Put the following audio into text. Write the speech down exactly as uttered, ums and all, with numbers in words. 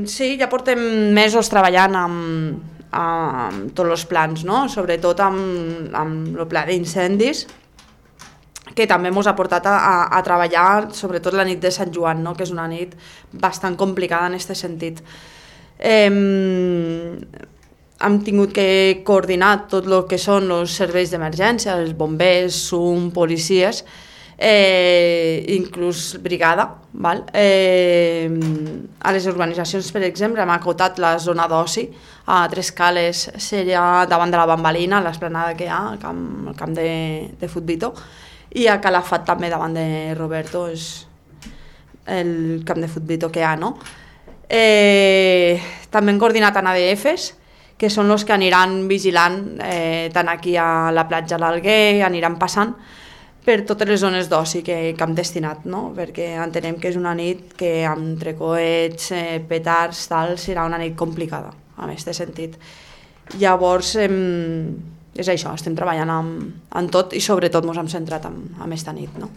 Sí, ja portem mesos treballant amb, amb tots els plans, no? Sobretot amb, amb el pla d'incendis, que també ens ha portat a, a, a treballar sobretot la nit de Sant Joan, no? Que és una nit bastant complicada en aquest sentit. Eh, hem tingut que coordinar tot el que són els serveis d'emergència, els bombers, S U M, policies, eh, inclús brigada. Val? Eh, a les urbanitzacions, per exemple, hem acotat la zona d'oci a Tres Cales, seria davant de la Bambalina, l'esplanada que hi ha, el camp, el camp de, de Futbito, i a Calafat també davant de Roberto, és el camp de Futbito que hi ha, no? Eh, també hem coordinat amb A D Fs, que són els que aniran vigilant eh, tant aquí a la platja l'Alguer, aniran passant per totes les zones d'oci que, que hem destinat, no? Perquè entenem que és una nit que entre coets, eh, petards, tal, serà una nit complicada, en aquest sentit. Llavors, eh, és això, estem treballant amb, amb tot i sobretot ens hem centrat en, en aquesta nit, no?